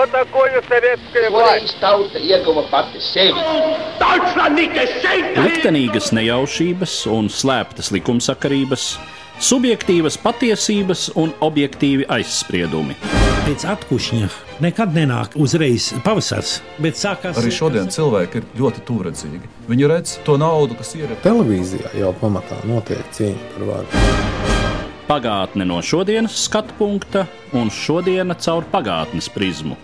Что такое советская власть? Tauta ieguva pati sevi. Liktenīgas nejaušības un slēptas likumsakarības, subjektīvas patiesības un objektīvi aizspriedumi. Pēc atkušņa nekad nenāk uzreiz pavasars, bet sākās... Arī šodien cilvēki ir ļoti tūredzīgi. Viņi redz to naudu, kas ir. Televīzijā jau pamatā notiek cīņa par varu. Pagātne no šodienas skatu punkta un šodiena caur pagātnes prizmu.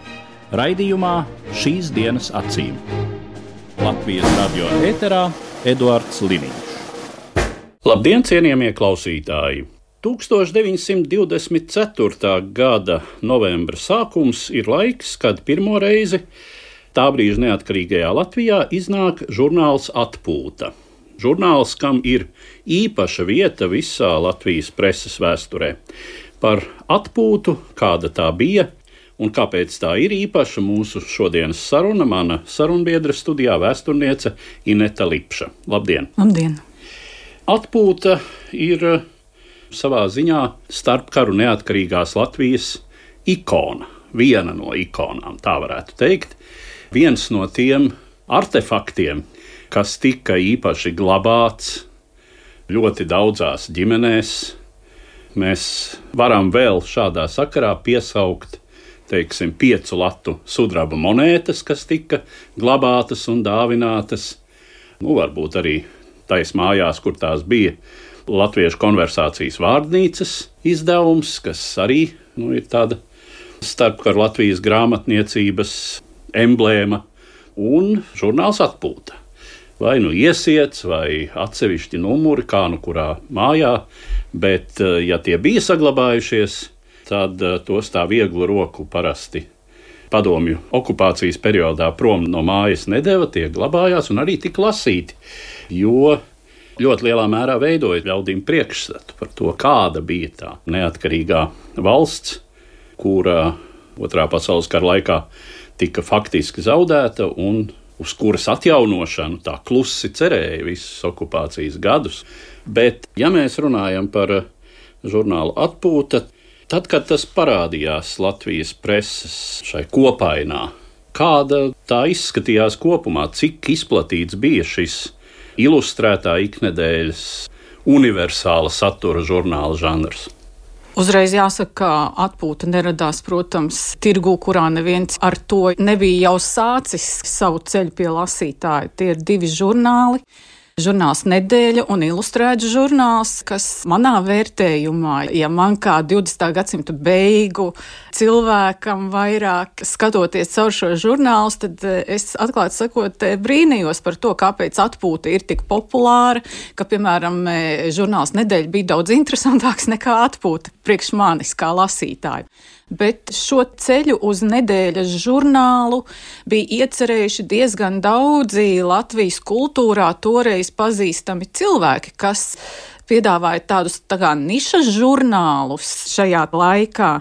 Raidījumā Šīs dienas acīm. Latvijas radio ēterā Eduards Liniņš. Labdien, cienījamie klausītāji! 1924. gada novembra sākums ir laiks, kad pirmo reizi tā brīža neatkarīgajā Latvijā iznāk žurnāls Atpūta. Žurnāls, kam ir īpaša vieta visā Latvijas preses vēsturē. Par atpūtu, kāda tā bija un kāpēc tā ir īpaša, mūsu šodienas saruna, mana sarunbiedra studijā vēsturniece Ineta Lipša. Labdien! Labdien! Atpūta ir savā ziņā starpkaru neatkarīgās Latvijas ikona, viena no ikonām, tā varētu teikt. Viens no tiem artefaktiem, kas tika īpaši glabāts ļoti daudzās ģimenēs. Mēs varam vēl šādā sakarā piesaukt, teiksim, 5 latu sudraba monētas, kas tika glabātas un dāvinātas. Varbūt arī tais mājās, kur tās bija, Latviešu konversācijas vārdnīcas izdevums, kas arī ir tāda starpkaru Latvijas grāmatniecības emblēma, un žurnāls Atpūta. Vai iesiets, vai atsevišķi numuri, kā kurā mājā, bet ja tie bija saglabājušies, tad tos tā vieglu roku parasti padomju okupācijas periodā prom no mājas nedeva, tie glabājās un arī tika lasīti, jo ļoti lielā mērā veidoja ļaudīm priekšstatu par to, kāda bija tā neatkarīgā valsts, kura Otrā pasaules kara laikā tika faktiski zaudēta un uz kuras atjaunošanu tā klusi cerēja visus okupācijas gadus. Bet, ja mēs runājam par žurnālu Atpūta, tad, kad tas parādījās Latvijas preses šai kopainā, kāda tā izskatījās kopumā, cik izplatīts bija šis ilustrētā iknedēļas universāla satura žurnāla žanrs? Uzreiz jāsaka, ka Atpūta neradās, protams, tirgū, kurā neviens ar to nebija jau sācis savu ceļu pie lasītāja. Tie ir 2 žurnāli. Žurnāls Nedēļa un ilustrēts žurnāls, kas manā vērtējumā, ja man kā 20. gadsimta beigu cilvēkam vairāk skatoties caur šo žurnālu, tad es atklāti sakot brīnījos par to, kāpēc Atpūta ir tik populāra, ka, piemēram, žurnāls Nedēļa bija daudz interesantāks nekā Atpūta priekš manis kā lasītāju. Bet šo ceļu uz Nedēļas žurnālu bija iecerējuši diezgan daudzi Latvijas kultūrā toreiz pazīstami cilvēki, kas piedāvāja tādus nišas žurnālus šajā laikā.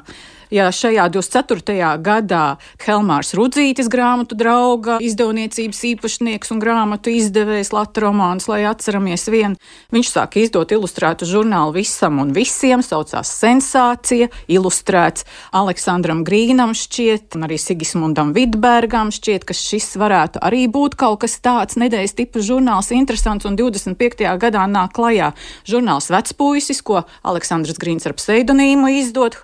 Ja šajā 24. gadā Helmārs Rudzītis, grāmatu drauga, izdevniecības īpašnieks un grāmatu izdevējs Lata romāns, lai atceramies vienu, viņš sāka izdot ilustrētu žurnālu Visam un visiem, saucās Sensācija, ilustrēts Aleksandram Grīnam šķiet, un arī Sigismundam Vidbergam šķiet, ka šis varētu arī būt kaut kas tāds nedēļas tipa žurnāls interesants, un 25. gadā nāk klajā žurnāls Vecpuisis, ko Aleksandrs Grīns ar pseidonīmu izdod.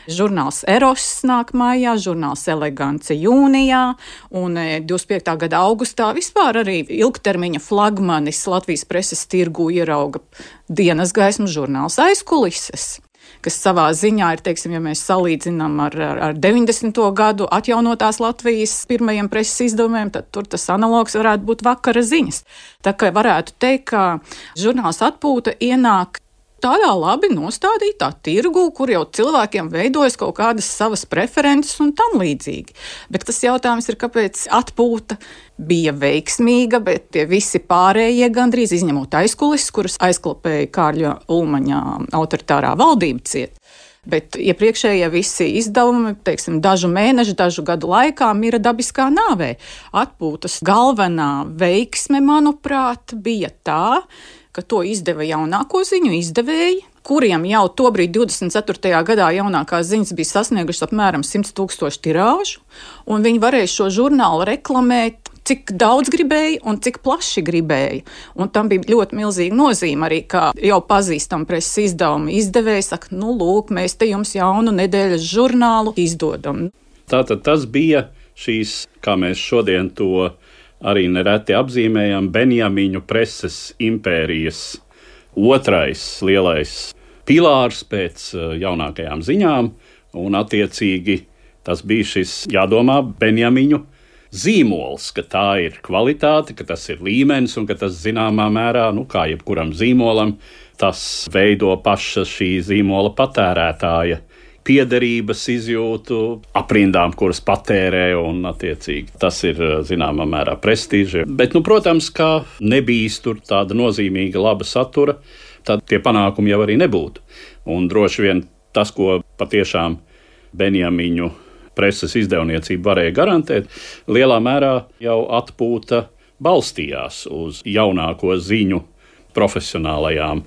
Žurnāls Eross nāk mājā, žurnāls Elegance jūnijā, un 25. gada augustā vispār arī ilgtermiņa flagmanis Latvijas preses tirgu ierauga dienas gaismu žurnāls Aizkulises, kas savā ziņā ir, teiksim, ja mēs salīdzinām ar 90. gadu atjaunotās Latvijas pirmajiem preses izdevumiem, tad tur tas analogs varētu būt Vakara ziņas. Tā kā varētu teikt, ka žurnāls Atpūta ienāk tādā labi nostādītā tirgu, kur jau cilvēkiem veidojas kaut kādas savas preferences un tam līdzīgi. Bet tas jautājums ir, kāpēc Atpūta bija veiksmīga, bet tie visi pārējie gandrīz izņemot Aizkulises, kuras aizklapēja Kārļa Ulmaņa autoritārā valdība ciet. Bet iepriekšējie visi izdevumi, teiksim, dažu mēnešu, dažu gadu laikā mira dabiskā nāvē. Atpūtas galvenā veiksme, manuprāt, bija tā, ka to izdeva jaunāko ziņu izdevēji, kuriem jau tobrīd 24. gadā jaunākās ziņas bija sasniegušas apmēram 100,000 tirāžu, un viņi varēja šo žurnālu reklamēt, cik daudz gribēja un cik plaši gribēja. Un tam bija ļoti milzīga nozīme arī, kā jau pazīstam preses izdevuma izdevēji saka, lūk, mēs te jums jaunu nedēļas žurnālu izdodam. Tātad tas bija šīs, kā mēs šodien to arī nereti apzīmējam, Benjamiņu preses impērijas otrais lielais pilārs pēc jaunākajām ziņām, un attiecīgi tas bija šis, jādomā, Benjamiņu zīmols, ka tā ir kvalitāte, ka tas ir līmenis un ka tas zināmā mērā, kā jebkuram zīmolam, tas veido paša šī zīmola patērētāja piederības izjūtu aprindām, kuras patērē, un attiecīgi tas ir zināmā mērā prestīži. Bet, protams, kā nebijis tur tāda nozīmīga laba satura, tad tie panākumi jau arī nebūtu. Un droši vien tas, ko patiešām Benjamiņu preses izdevniecība varēja garantēt, lielā mērā jau atpūta balstījās uz jaunāko ziņu profesionālajām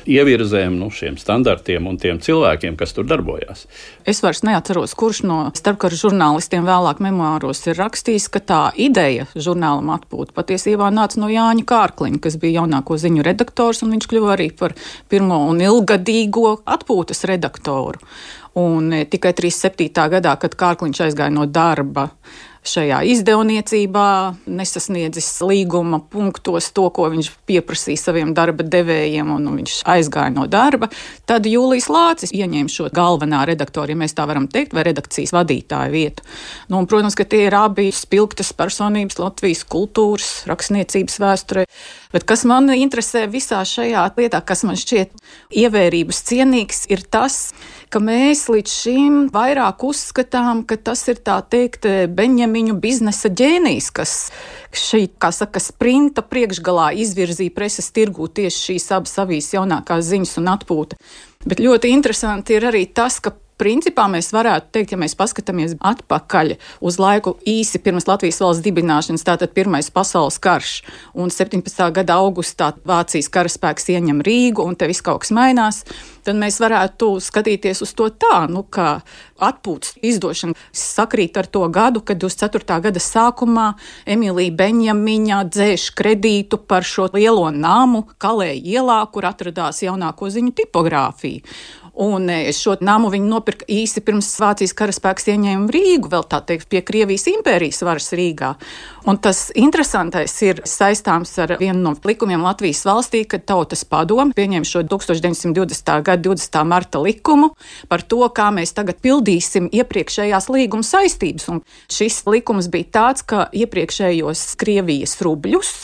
ievirzēm, šiem standartiem un tiem cilvēkiem, kas tur darbojās. Es vairs neatceros, kurš no starpkara žurnālistiem vēlāk memoāros ir rakstījis, ka tā ideja žurnālam atpūta patiesībā nāca no Jāņa Kārkliņa, kas bija jaunāko ziņu redaktors, un viņš kļuva arī par pirmo un ilgadīgo atpūtas redaktoru. Un tikai 37. gadā, kad Kārkliņš aizgāja no darba šajā izdevniecībā, nesasniedzis līguma punktos to, ko viņš pieprasīja saviem darba devējiem, un viņš aizgāja no darba, tad Jūlijs Lācis ieņēma šo galvenā redaktora, ja mēs tā varam teikt, vai redakcijas vadītāja vietu. Un, protams, ka tie ir abi spilgtas personības Latvijas kultūras, rakstniecības vēsturē. Bet kas man interesē visā šajā lietā, kas man šķiet ievērības cienīgs, ir tas, ka mēs līdz šim vairāk uzskatām, ka tas ir tā teikt Benjamiņu biznesa ģēnijs, kas šī, kā saka, sprinta priekšgalā izvirzīja preses tirgū tieši šīs abas avīzes jaunākās ziņas un atpūta. Bet ļoti interesanti ir arī tas, ka principā mēs varētu teikt, ja mēs paskatāmies atpakaļ uz laiku īsi pirms Latvijas valsts dibināšanas, tātad Pirmais pasaules karš, un 17. gada augustā Vācijas karaspēks ieņem Rīgu, un te viss kaut kas mainās, tad mēs varētu skatīties uz to tā, ka atpūtas izdošana sakrīt ar to gadu, kad 24. gada sākumā Emīlija Benjamiņa dzēš kredītu par šo lielo namu Kalē ielā, kur atradās jaunāko ziņu tipogrāfija. Un šo namu viņi nopirka īsi pirms Vācijas karaspēks ieņēma Rīgu, vēl tā teikt, pie Krievijas impērijas varas Rīgā. Un tas interesantais ir saistāms ar vienu no likumiem Latvijas valstī, kad Tautas padome pieņēma šo 1920. gada 20. marta likumu par to, kā mēs tagad pildīsim iepriekšējās līguma saistības. Un šis likums bija tāds, ka iepriekšējos Krievijas rubļus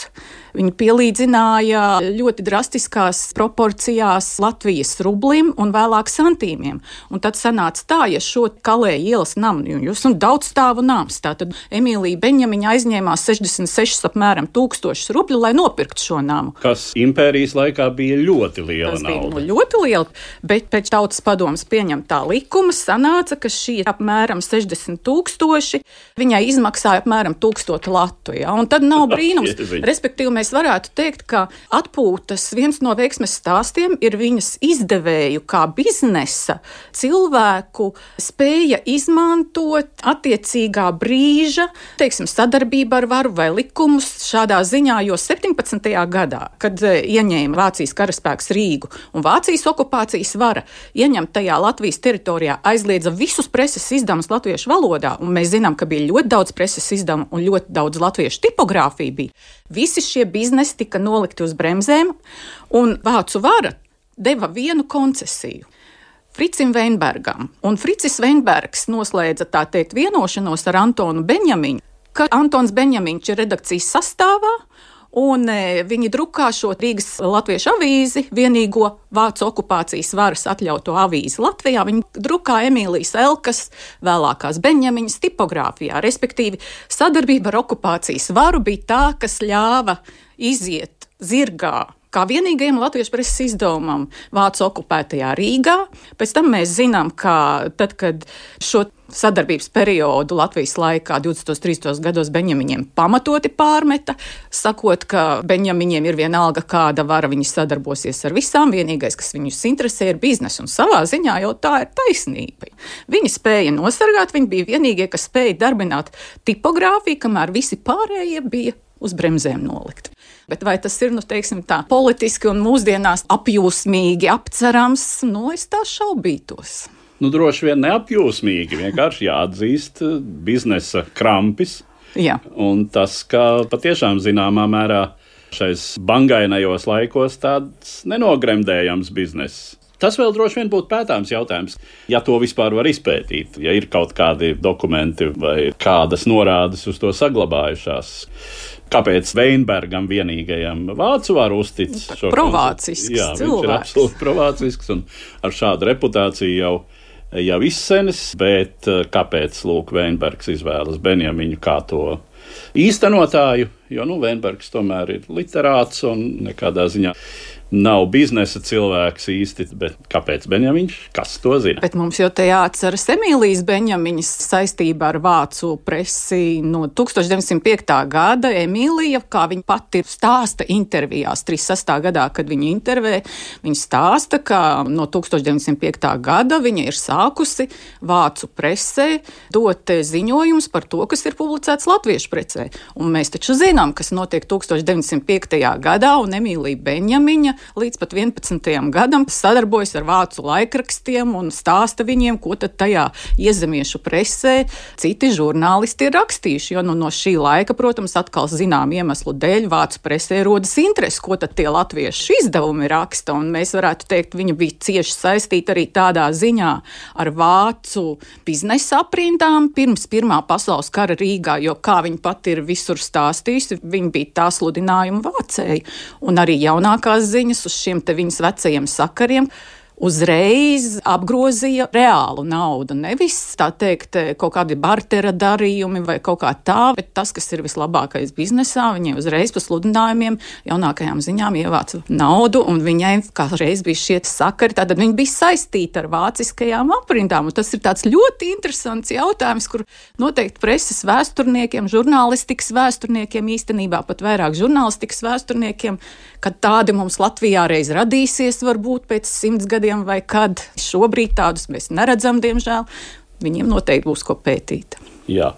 viņi pielīdzināja ļoti drastiskās proporcijās Latvijas rublim un vēlāk santīmiem. Un tad sanāca tā, ja šo Kalē ielas namu, jūs un daudz stāvu nams, tātad Emīlija Benjamiņa aizņēmās 66 apmēram 1000 rubļu, lai nopirktu šo namu. Kas impērijas laikā bija ļoti liela nauda. Tas bija ļoti liela, bet pēc Tautas padomes pieņemtā likuma sanāca, ka šī apmēram 60,000 viņai izmaksāja apmēram 1000 latu. Ja? Un tad nav brīnums, respektīvi mēs varētu teikt, ka atpūtas viens no veiksmes stāstiem ir viņas izdevēju kā biznesa cilvēku spēja izmantot attiecīgā brīža, teiksim, sadarbību ar varu vai likumus šādā ziņā, jo 17. gadā, kad ieņēma Vācijas karaspēks Rīgu un Vācijas okupācijas vara ieņemt tajā Latvijas teritorijā, aizliedza visus preses izdevumus latviešu valodā, un mēs zinām, ka bija ļoti daudz preses izdevumu un ļoti daudz latviešu tipogrāfiju bija. Visi šie biznesi tika nolikti uz bremzēm, un vācu vara deva vienu koncesiju Fricim Veinbergam. Un Fricis Veinbergs noslēdza, tā teikt, vienošanos ar Antonu Benjamiņu, ka Antons Benjamiņš ir redakcijas sastāvā, un viņi drukā šo Rīgas latviešu avīzi, vienīgo vācu okupācijas varas atļauto avīzi Latvijā. Viņi drukā Emīlijas Elkas, vēlākās Benjamiņas tipogrāfijā, respektīvi sadarbība ar okupācijas varu bija tā, kas ļāva iziet zirgā kā vienīgajam latviešu preses izdevumam vācu okupētajā Rīgā. Pēc tam mēs zinām, ka tad, kad šo sadarbības periodu Latvijas laikā 20. 30. gados Benjamiņiem pamatoti pārmeta, sakot, ka Benjamiņiem ir vienalga kāda vara, viņi sadarbosies ar visām, vienīgais, kas viņus interesē, ir biznesa, un savā ziņā jau tā ir taisnība. Viņi spēja nosargāt, viņi bija vienīgie, kas spēja darbināt tipogrāfiju, kamēr visi pārējie bija uz bremzēm nolikt. Bet vai tas ir, teiksim tā, politiski un mūsdienās apjūsmīgi apcerams, es tā šaubītos. Droši vien neapjūsmīgi, vienkārši jāatzīst biznesa krampis. Jā. Un tas, ka patiešām zināmā mērā šais bangainajos laikos tāds nenogremdējams bizness. Tas vēl droši vien būtu pētāms jautājums, ja to vispār var izpētīt, ja ir kaut kādi dokumenti vai kādas norādes uz to saglabājušās. Kāpēc Veinbergam vienīgajam vācu var uztic šo provācisks cilvēks? Viņš ir absolūti provācisks un ar šādu reputāciju jau izsenis, bet kāpēc Veinbergs izvēlas Benjamiņu kā to īstenotāju, jo Veinbergs tomēr ir literāts un nekādā ziņā nav biznesa cilvēks īsti, bet kāpēc Benjamiņš? Kas to zina? Bet mums jau te jāatceras Emīlijas Benjamiņas saistībā ar vācu presi no 1905. gada. Emīlija, kā viņa pati stāsta intervijās 36. gadā, kad viņa intervē, viņa stāsta, ka no 1905. gada viņa ir sākusi vācu presē dot ziņojumus par to, kas ir publicēts latviešu presē. Un mēs taču zinām, kas notiek 1905. gadā, un Emīlija Benjamiņa līdz pat 11. gadam sadarbojas ar vācu laikrakstiem un stāsta viņiem, ko tad tajā iezemiešu presē citi žurnālisti ir rakstījuši. Jo no šī laika, protams, atkal zinām iemeslu dēļ vācu presē rodas interesi, ko tad tie latviešu izdevumi raksta. Un mēs varētu teikt, viņa bija cieši saistīta arī tādā ziņā ar vācu biznesa aprindām pirms Pirmā pasaules kara Rīgā, jo kā viņa pati ir visur stāstījusi, viņa bija tā sludinājuma vācēja. Un arī jaunākās ziņas uz šiem te viņas vecajiem sakariem uzreiz apgrozīja reālu naudu. Nevis, tā teikt, kaut kādi bartera darījumi vai kaut kā tā, bet tas, kas ir vislabākais biznesā, viņai uzreiz pa sludinājumiem, jaunākajām ziņām ievāca naudu, un viņai kā reiz bija šie sakari, tātad viņa bija saistīta ar vāciskajām aprindām, un tas ir tāds ļoti interesants jautājums, kur noteikti preses vēsturniekiem, žurnālistikas vēsturniekiem, īstenībā pat vairāk žurnālistikas vēsturniekiem, kad tādi mums Latvijā reiz radīsies, varbūt pēc 100 gadiem vai kad. Šobrīd tādus mēs neredzam, diemžēl. Viņiem noteikti būs ko pētīt. Jā.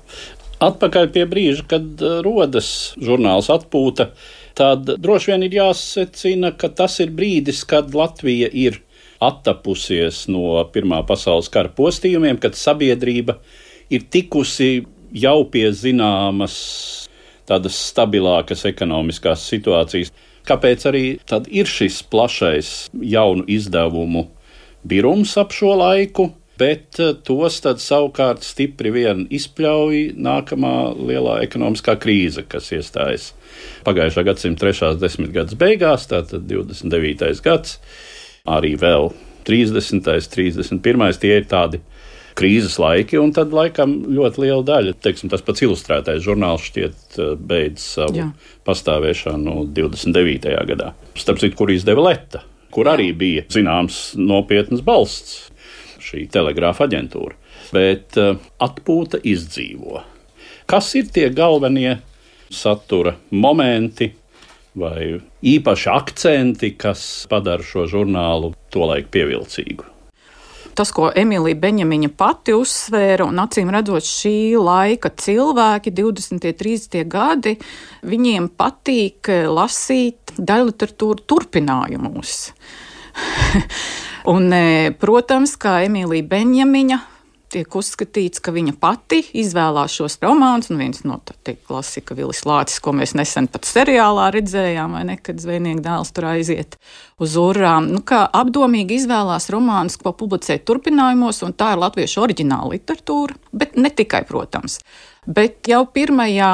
Atpakaļ pie brīža, kad rodas žurnāls Atpūta, tad droši vien ir jāsecina, ka tas ir brīdis, kad Latvija ir attapusies no Pirmā pasaules kara postījumiem, kad sabiedrība ir tikusi jau pie zināmas tādas stabilākas ekonomiskās situācijas. Kāpēc arī tad ir šis plašais jaunu izdevumu birums ap šo laiku, bet tos tad savukārt stipri vien izpļauj nākamā lielā ekonomiskā krīze, kas iestājas pagājušā gadsimta 3. desmitgades beigās, tātad 29. gads, arī vēl 30. 31. tie ir tādi krīzes laiki, un tad laikam ļoti liela daļa, teiksim, tas pats ilustrētais žurnāls šķiet beidz savu pastāvēšanu 29. gadā. Starp citu, kur izdeva Leta, kur arī bija zināms nopietnas balsts, šī telegrāfa aģentūra. Bet Atpūta izdzīvo. Kas ir tie galvenie satura momenti vai īpaši akcenti, kas padara šo žurnālu tolaik pievilcīgu? Tas, ko Emīlija Benjamiņa pati uzsvēra, un acīm redzot šī laika cilvēki, 20. 30. gadi, viņiem patīk lasīt daļliteratūru turpinājumus. Un, protams, kā Emīlija Benjamiņa tiek uzskatīts, ka viņa pati izvēlās šos romānus, un viens no tā klasika Vilis Lācis, ko mēs nesen pat seriālā redzējām, vai ne, kad zvejnieka dēls tur aiziet uz urām, kā apdomīgi izvēlās romānus, ko publicēt turpinājumos, un tā ir latviešu oriģināla literatūra, bet ne tikai, protams. Bet jau pirmajā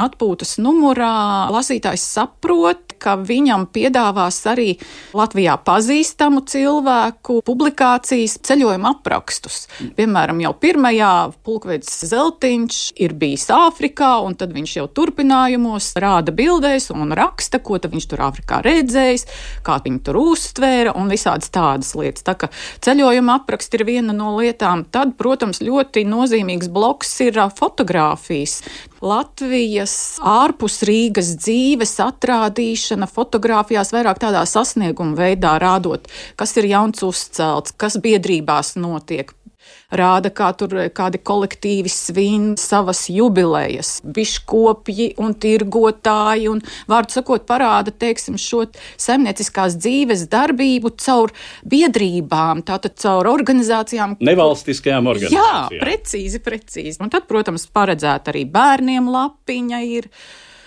Atpūtas numurā lasītājs saprot, ka viņam piedāvās arī Latvijā pazīstamu cilvēku publikācijas, ceļojuma aprakstus. Piemēram, jau pirmajā pulkvedis Zeltiņš ir bijis Āfrikā, un tad viņš jau turpinājumos rāda bildēs un raksta, ko tad viņš tur Āfrikā redzējis, kā viņi tur uztvēra un visādas tādas lietas. Tā ka ceļojuma apraksti ir viena no lietām. Tad, protams, ļoti nozīmīgs bloks ir fotogrāfijas. Latvijas ārpus Rīgas dzīves atrādīšana fotogrāfijās vairāk tādā sasnieguma veidā rādot, kas ir jauns uzcelts, kas biedrībās notiek. Rāda, kā tur kādi kolektīvi svin savas jubilejas, biškopji un tirgotāji un, vārdu sakot, parāda, teiksim, šo saimnieciskās dzīves darbību caur biedrībām, tātad caur organizācijām. Nevalstiskajām organizācijām. Jā, precīzi. Un tad, protams, paredzēta arī bērniem lapiņa ir.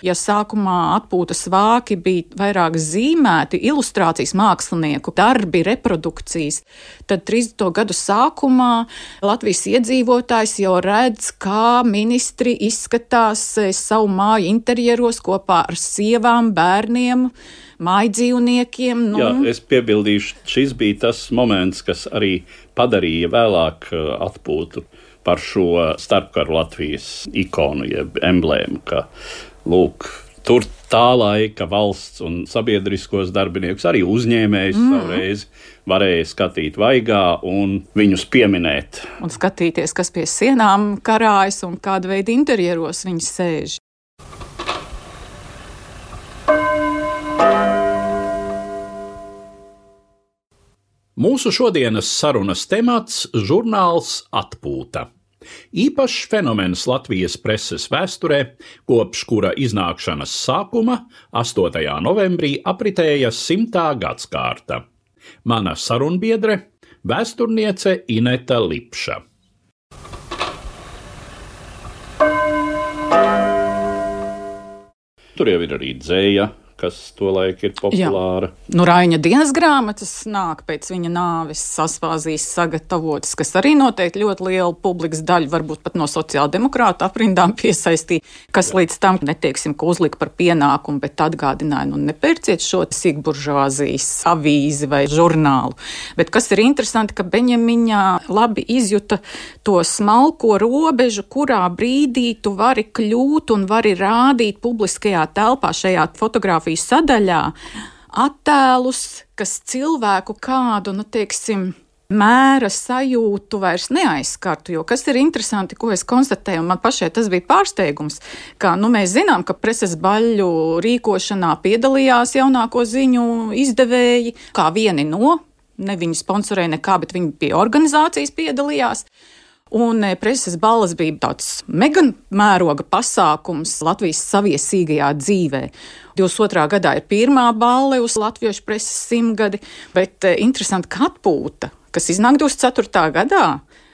Ja sākumā atpūtas vāki bija vairāk zīmēti, ilustrācijas mākslinieku darbi, reprodukcijas, tad 30. gadu sākumā Latvijas iedzīvotājs jau redz, kā ministri izskatās savu māju interjeros kopā ar sievām, bērniem, mājdzīvniekiem. Jā, es piebildīšu, šis bija tas moments, kas arī padarīja vēlāk atpūtu par šo starpkaru Latvijas ikonu, jeb emblēmu, ka lūk, tur tā laika valsts un sabiedriskos darbiniekus, arī uzņēmējus savreiz varēja skatīt vaigā un viņus pieminēt. Un skatīties, kas pie sienām karājas un kāda veida interjeros viņi sēž. Mūsu šodienas sarunas temats – žurnāls Atpūta. Īpašs fenomens Latvijas preses vēsturē, kopš kura iznākšanas sākuma 8. novembrī apritēja 100. gadskārta. Mana sarunbiedre – vēsturniece Ineta Lipša. Tur jau ir arī dzēja, kas tolaik ir populāra. Nu, Raiņa dienas grāmatas nāk pēc viņa nāves Saspāzijas sagatavotas, kas arī noteikti ļoti lielu publikas daļu, varbūt pat no sociāldemokrātu aprindām piesaistīja, kas līdz tam, neteiksim, ka uzlika par pienākumu, bet atgādināja, nu nepērciet šo sīkburžuāzijas avīzi vai žurnālu. Bet kas ir interesanti, ka Beņemiņā labi izjuta to smalko robežu, kurā brīdī tu vari kļūt un vari rādīt publiskajā telpā šajā fotogrāfijā sadaļā attēlus, kas cilvēku kādu, mēra sajūtu vairs neaizskartu, jo kas ir interesanti, ko es konstatēju, un man pašai tas bija pārsteigums, ka, mēs zinām, ka preses baļļu rīkošanā piedalījās jaunāko ziņu izdevēji, kā vieni no, ne viņi sponsorēja nekā, bet viņi pie organizācijas piedalījās. Un preses balles bija tāds mega mēroga pasākums Latvijas saviesīgajā dzīvē. 22. gadā ir pirmā balle uz latviešu preses 100 gadi, bet interesanti, ka Atpūta, kas iznāk 24. gadā,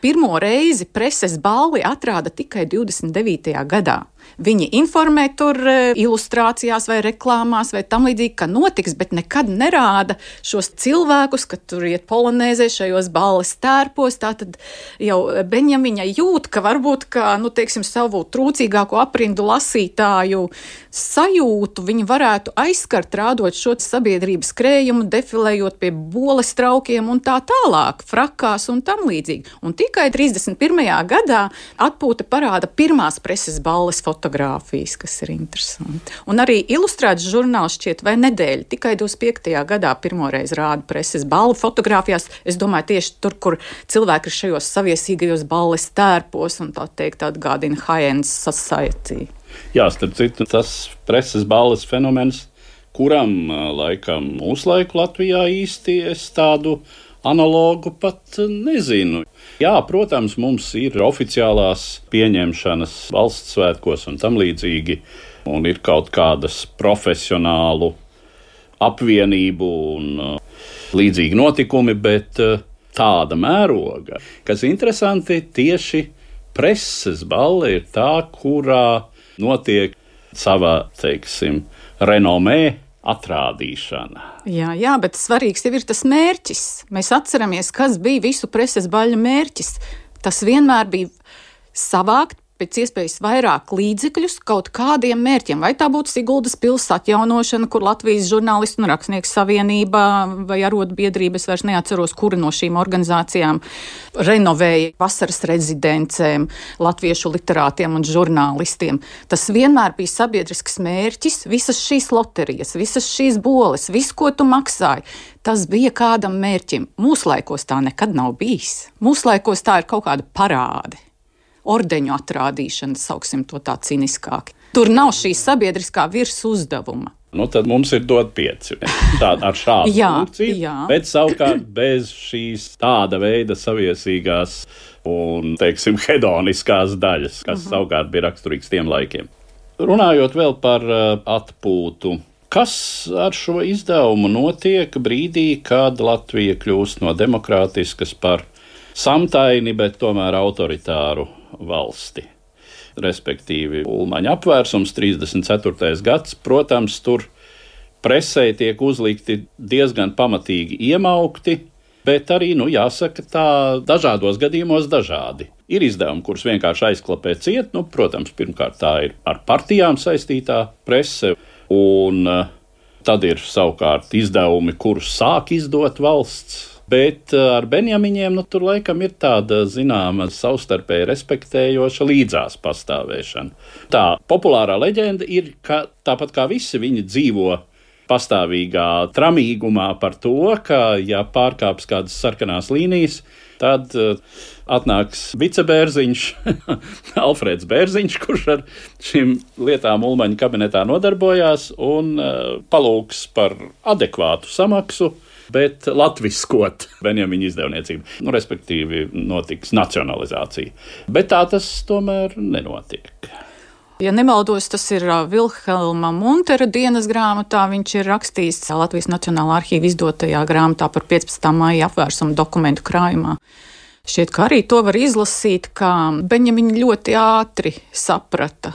pirmo reizi preses balli atrāda tikai 29. gadā. Viņi informē tur ilustrācijās vai reklāmās vai tam līdzīgi, ka notiks, bet nekad nerāda šos cilvēkus, ka tur iet polonēzē šajos balles tērpos. Tātad jau Beņemiņa jūt, ka varbūt, savu trūcīgāko aprindu lasītāju sajūtu viņi varētu aizskart, rādot šo sabiedrības krējumu, defilējot pie boles traukiem un tā tālāk, frakās un tam līdzīgi. Un tikai 31. gadā Atpūta parāda pirmās preses balles fotogrāfijas, kas ir interesanti. Un arī ilustrēts žurnāls šķiet vai nedēļa, tikai 25. gadā pirmoreiz rāda preses balli fotogrāfijās. Es domāju, tieši tur, kur cilvēki ir šajos saviesīgajos balles tērpos un tā teikt atgādina high-end society. Jā, starp citu, tas preses balles fenomens, kuram laikam mūslaiku Latvijā īsti es tādu analogu pat nezinu. Jā, protams, mums ir oficiālās pieņemšanas valsts svētkos un tam līdzīgi, un ir kaut kādas profesionālu apvienību un līdzīgi notikumi, bet tāda mēroga, kas interesanti, tieši preses balle ir tā, kurā notiek sava, renomē atrādīšana. Jā, bet svarīgs jau ir tas mērķis. Mēs atceramies, kas bija visu preses baļu mērķis. Tas vienmēr bija savākt pēc iespējas vairāk līdzekļus kaut kādiem mērķiem. Vai tā būtu Siguldas pils atjaunošana, kur Latvijas žurnālistu un rakstnieku savienība vai arotbiedrības, vairs neatceros, kura no šīm organizācijām renovēja vasaras rezidencēm latviešu literātiem un žurnālistiem. Tas vienmēr bija sabiedrisks mērķis, visas šīs loterijas, visas šīs boles, visu, ko tu maksāji. Tas bija kādam mērķim. Mūslaikos tā nekad nav bijis. Mūslaikos tā ir kaut kāda parāde. Ordeņu atrādīšana, sauksim to tā ciniskāk. Tur nav šī sabiedriskā virsuzdevuma. Tad mums ir dot 5. Tāda ar šādu funkciju, bet savukārt bez šīs tāda veida saviesīgās un, teiksim, hedoniskās daļas, kas savukārt bija raksturīgs tiem laikiem. Runājot vēl par atpūtu, kas ar šo izdevumu notiek brīdī, kad Latvija kļūst no demokrātiskas par samtaini, bet tomēr autoritāru valsti. Respektīvi, Ulmaņa apvērsums, 34. gads, protams, tur presē tiek uzlikti diezgan pamatīgi iemaukti, bet arī, jāsaka, tā dažādos gadījumos dažādi. Ir izdevumi, kurus vienkārši aizklapē ciet, protams, pirmkārt tā ir ar partijām saistītā prese, un tad ir savukārt izdevumi, kurus sāk izdot valsts. Bet ar Benjamiņiem tur laikam ir tāda zināma savstarpēji respektējoša līdzās pastāvēšana. Tā populārā leģenda ir, ka tāpat kā visi viņi dzīvo pastāvīgā tramīgumā par to, ka ja pārkāps kādas sarkanās līnijas, tad atnāks vicebērziņš, Alfrēds Bērziņš, kurš ar šīm lietām Ulmaņa kabinetā nodarbojās un palūgs par adekvātu samaksu, bet latviskot Benjamiņa izdevniecību. Respektīvi, notiks nacionalizācija. Bet tā tas tomēr nenotiek. Ja nemaldos, tas ir Vilhelma Muntera dienas grāmatā. Viņš ir rakstījis Latvijas Nacionālā arhīva izdotajā grāmatā par 15. maija apvērsumu dokumentu krājumā. Šķiet, ka arī to var izlasīt, ka Benjamiņa ļoti ātri saprata.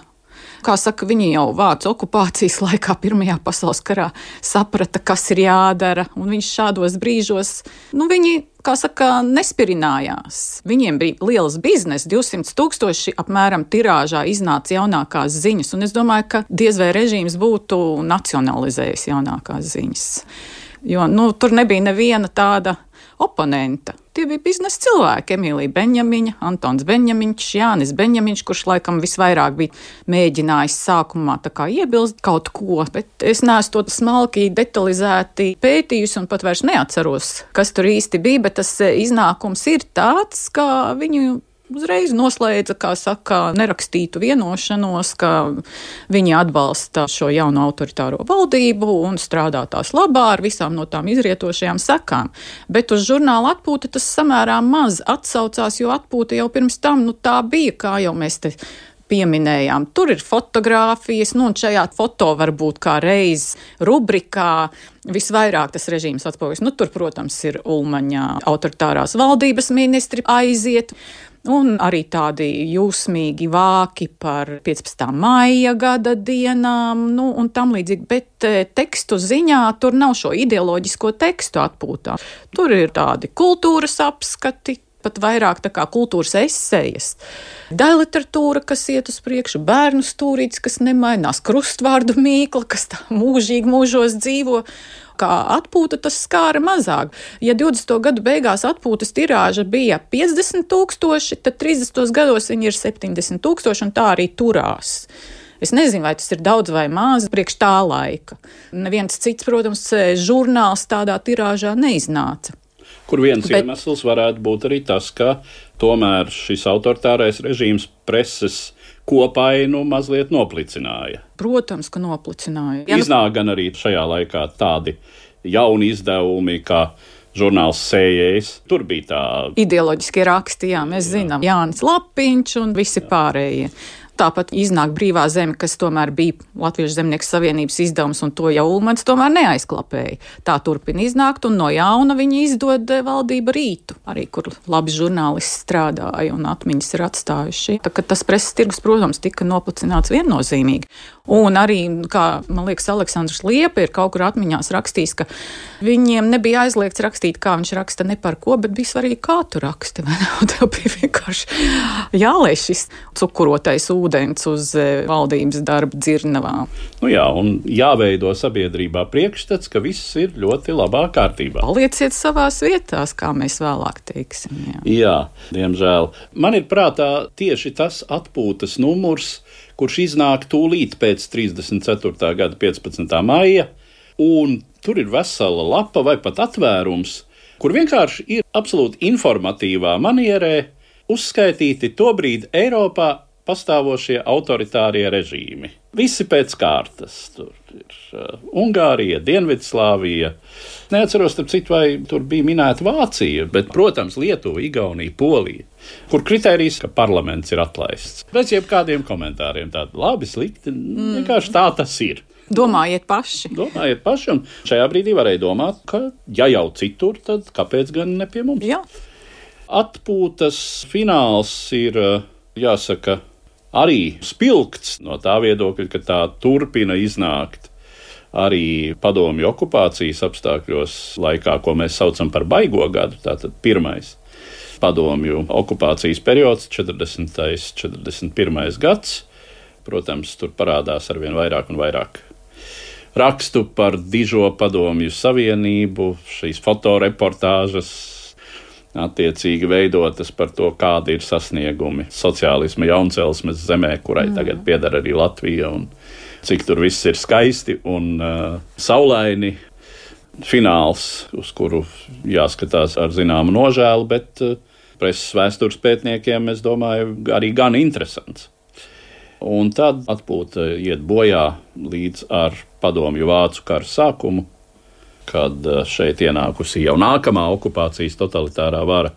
Kā saka, viņi jau vācu okupācijas laikā Pirmajā pasaules karā saprata, kas ir jādara, un viņš šādos brīžos, viņi, kā saka, nespirinājās. Viņiem bija liels biznes, 200,000 apmēram tirāžā iznāca jaunākās ziņas, un es domāju, ka diez vai režīms būtu nacionalizējis jaunākās ziņas. Jo, tur nebija neviena tāda oponenta. Tie bija biznesa cilvēki, Emīlija Benjamiņa, Antons Benjamiņš, Jānis Benjamiņš, kurš laikam visvairāk bija mēģinājis sākumā tā kā iebilst kaut ko, bet es neesmu to smalki detalizēti pētījusi un pat vairs neatceros, kas tur īsti bija, bet tas iznākums ir tāds, ka viņu uzreiz noslēdza, kā saka, nerakstītu vienošanos, ka viņi atbalsta šo jauno autoritāro valdību un strādā tās labā ar visām no tām izrietošajām sekām. Bet uz žurnāla atpūta tas samērā maz atsaucās, jo atpūta jau pirms tam, tā bija, kā jau mēs te pieminējām. Tur ir fotogrāfijas, un šajā foto varbūt kā reiz rubrikā visvairāk tas režīms atspoguļojas. Tur, protams, ir Ulmaņa autoritārās valdības ministri aiziet, un arī tādi jūsmīgi vāki par 15. maija gada dienām, un tam līdzīgi, bet tekstu ziņā tur nav šo ideoloģisko tekstu atpūtā. Tur ir tādi kultūras apskati, pat vairāk tā kā kultūras esejas. Daļliteratūra, kas iet uz priekšu, bērnu stūrītis, kas nemainās, krustvārdu mīkla, kas tā mūžīgi mūžos dzīvo. Kā atpūta tas skāra mazāk. Ja 20. gadu beigās atpūtas tirāža bija 50,000, tad 30. gados viņi ir 70,000 un tā arī turās. Es nezinu, vai tas ir daudz vai maz priekš tā laika. Neviens cits, protams, žurnāls tādā tirāžā neiznāca. Kur viens iemesls varētu būt arī tas, ka tomēr šis autoritārais režīms preses kopainu mazliet noplicināja. Protams, ka noplicināja. Iznāk gan arī šajā laikā tādi jauni izdevumi, kā žurnāls Sējējs. Tur bija tā ideoloģiskie raksti, mēs zinām, Jānis Lapiņš un visi pārējie. Tāpat iznāk Brīvā zeme, kas tomēr bija Latviešu zemnieku savienības izdevums, un to jau Ulmans tomēr neaizklapēja. Tā turpina iznākt, un no jauna viņi izdod Valdība Rītu, arī kur labi žurnālisti strādāja un atmiņas ir atstājuši. Tā kā tas preses tirgus, protams, tika noplicināts viennozīmīgi. Un arī, kā man liekas, Aleksandrs Liepa ir kaut kur atmiņās rakstījis, ka viņiem nebija aizliegts rakstīt, kā viņš raksta, ne par ko, bet bija svarīgi, kā tu raksti. Tev bija vienkārši jālēš šis cukurotais ūdens uz valdības darba dzirnavām. Jā, un jāveido sabiedrībā priekšstats, ka viss ir ļoti labā kārtībā. Palieciet savās vietās, kā mēs vēlāk teiksim. Jā, diemžēl. Man ir prātā tieši tas atpūtas numurs, kurš iznāk tūlīt pēc 34. gada 15. maija, un tur ir vesela lapa vai pat atvērums, kur vienkārši ir absolūti informatīvā manierē uzskaitīti tobrīd Eiropā pastāvošie autoritārie režīmi. Visi pēc kārtas. Tur ir Ungārija, Dienvidslāvija. Neatceros, starp citu, vai tur bija minēta Vācija, bet, protams, Lietuva, Igaunija, Polija, kur kritērijs, ka parlaments ir atlaists. Bez jebkādiem komentāriem tādi labi, slikti, vienkārši tā tas ir. Domājiet paši, un šajā brīdī varēja domāt, ka ja jau citur, tad kāpēc gan ne pie mums? Jā. Atpūtas fināls ir, jāsaka, arī spilgts no tā viedokļa, ka tā turpina iznākt arī padomju okupācijas apstākļos laikā, ko mēs saucam par baigo gadu, tātad pirmais padomju okupācijas periods, 40. 41. gads. Protams, tur parādās arvien vairāk un vairāk rakstu par dižo padomju savienību, šīs fotoreportāžas, attiecīgi veidotas par to, kādi ir sasniegumi sociālisma jauncelsmes zemē, kurai tagad pieder arī Latvija, un cik tur viss ir skaisti un saulaini. Fināls, uz kuru jāskatās ar zināmu nožēlu, bet preses vēstures pētniekiem, es domāju, arī gan interesants. Un tad atpūta iet bojā līdz ar padomju vācu kara sākumu, kad šeit ienākusi jau nākamā okupācijas totalitārā vara,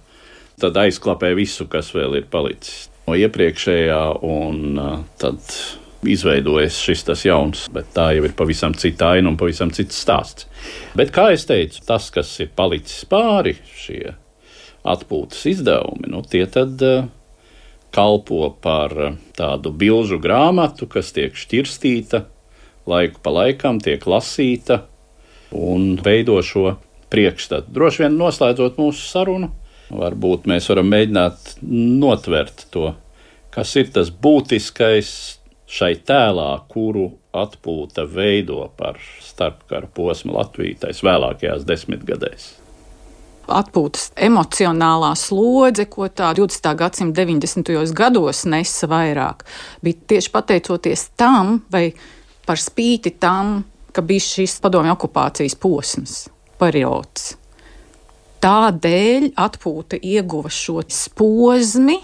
tad aizklapē visu, kas vēl ir palicis no iepriekšējā, un tad izveidojas šis tas jauns, bet tā jau ir pavisam cita aina un pavisam cits stāsts. Bet, kā es teicu, tas, kas ir palicis pāri, šie atpūtas izdevumi, tie tad kalpo par tādu bilžu grāmatu, kas tiek šķirstīta, laiku pa laikam tiek lasīta, un veido šo priekšstatu. Droši vien noslēdzot mūsu sarunu, varbūt mēs varam mēģināt notvert to, kas ir tas būtiskais šai tēlā, kuru atpūta veido par starpkara posmu Latviju tais vēlākajās desmitgadēs. Atpūtas emocionālā slodze, ko tā 20. gadsimta 90. gados nesa vairāk, bija tieši pateicoties tam, vai par spīti tam, ka bija šis padomju okupācijas posms, periods. Tādēļ atpūta ieguva šo posmi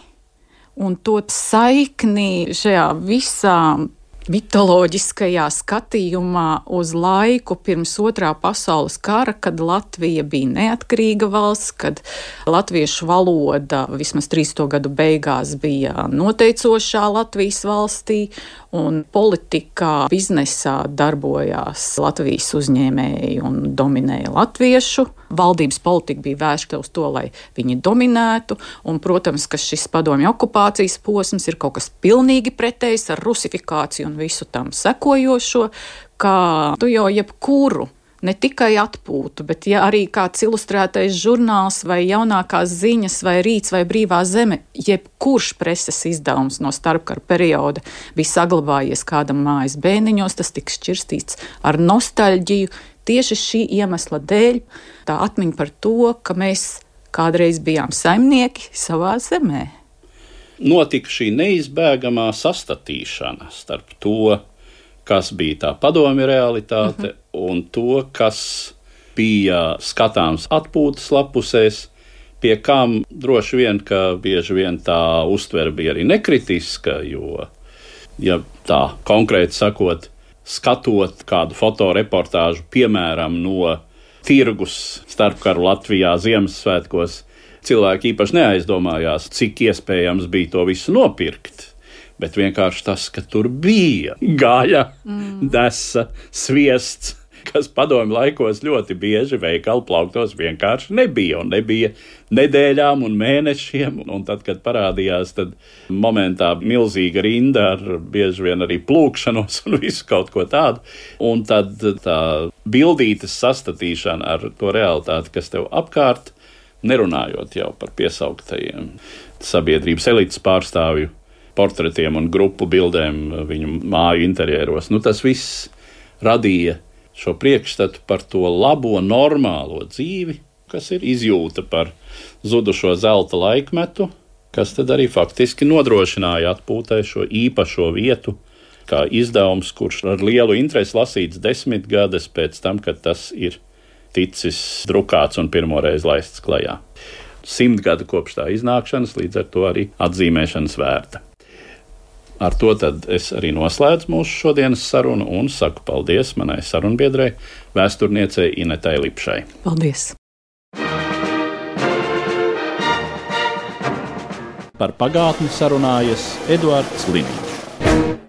un to saikni šajā visā mitoloģiskajā skatījumā uz laiku pirms Otrā pasaules kara, kad Latvija bija neatkarīga valsts, kad latviešu valoda vismaz 30. gadu beigās bija noteicošā Latvijas valstī, un politikā, biznesā darbojās Latvijas uzņēmēji un dominēja latviešu. Valdības politika bija vērsta uz to, lai viņi dominētu, un, protams, ka šis padomju okupācijas posms ir kaut kas pilnīgi pretējs ar rusifikāciju un visu tam sekojošo, kā tu jau jebkuru, ne tikai atpūtu, bet ja arī kāds ilustrētais žurnāls vai jaunākās ziņas vai Rīts vai Brīvā zeme, jebkurš preses izdevums no starpkara perioda bija saglabājies kādam mājas bēniņos, tas tika šķirstīts ar nostalģiju. Tieši šī iemesla dēļ tā atmiņa par to, ka mēs kādreiz bijām saimnieki savā zemē. Notika šī neizbēgamā sastatīšana starp to, kas bija tā padomju realitāte, un to, kas bija skatāms atpūtas lapusēs, pie kam droši vien, ka bieži vien tā uztvere bija arī nekritiska, jo, ja tā konkrēti sakot, skatot kādu fotoreportāžu, piemēram, no tirgus starpkaru Latvijā Ziemassvētkos, cilvēki īpaši neaizdomājās, cik iespējams bija to visu nopirkt. bet vienkārši tas, ka tur bija gaļa, desa, sviests, kas padomju laikos ļoti bieži veikalu plauktos vienkārši nebija, un nebija nedēļām un mēnešiem, un tad, kad parādījās, tad momentā milzīga rinda ar bieži vien arī plūkšanos un visu kaut ko tādu, un tad tā bildītes sastatīšana ar to realitāti, kas tev apkārt, nerunājot jau par piesauktajiem sabiedrības elites pārstāvju portretiem un grupu bildēm viņu māju interjeros. Tas viss radīja šo priekšstatu par to labo, normālo dzīvi, kas ir izjūta par zudušo zelta laikmetu, kas tad arī faktiski nodrošināja atpūtai šo īpašo vietu, kā izdevums, kurš ar lielu interesi lasīts 10 gadus pēc tam, kad tas ir ticis drukāts un pirmoreiz laists klajā. 100 gadu kopš tā iznākšanas, līdz ar to arī atzīmēšanas vērta. Ar to tad es arī noslēdzu mūsu šodienas sarunu un saku paldies manai sarunbiedrei, vēsturniecei Inetai Lipšai. Paldies! Par pagātni sarunājas Eduards Liniņš.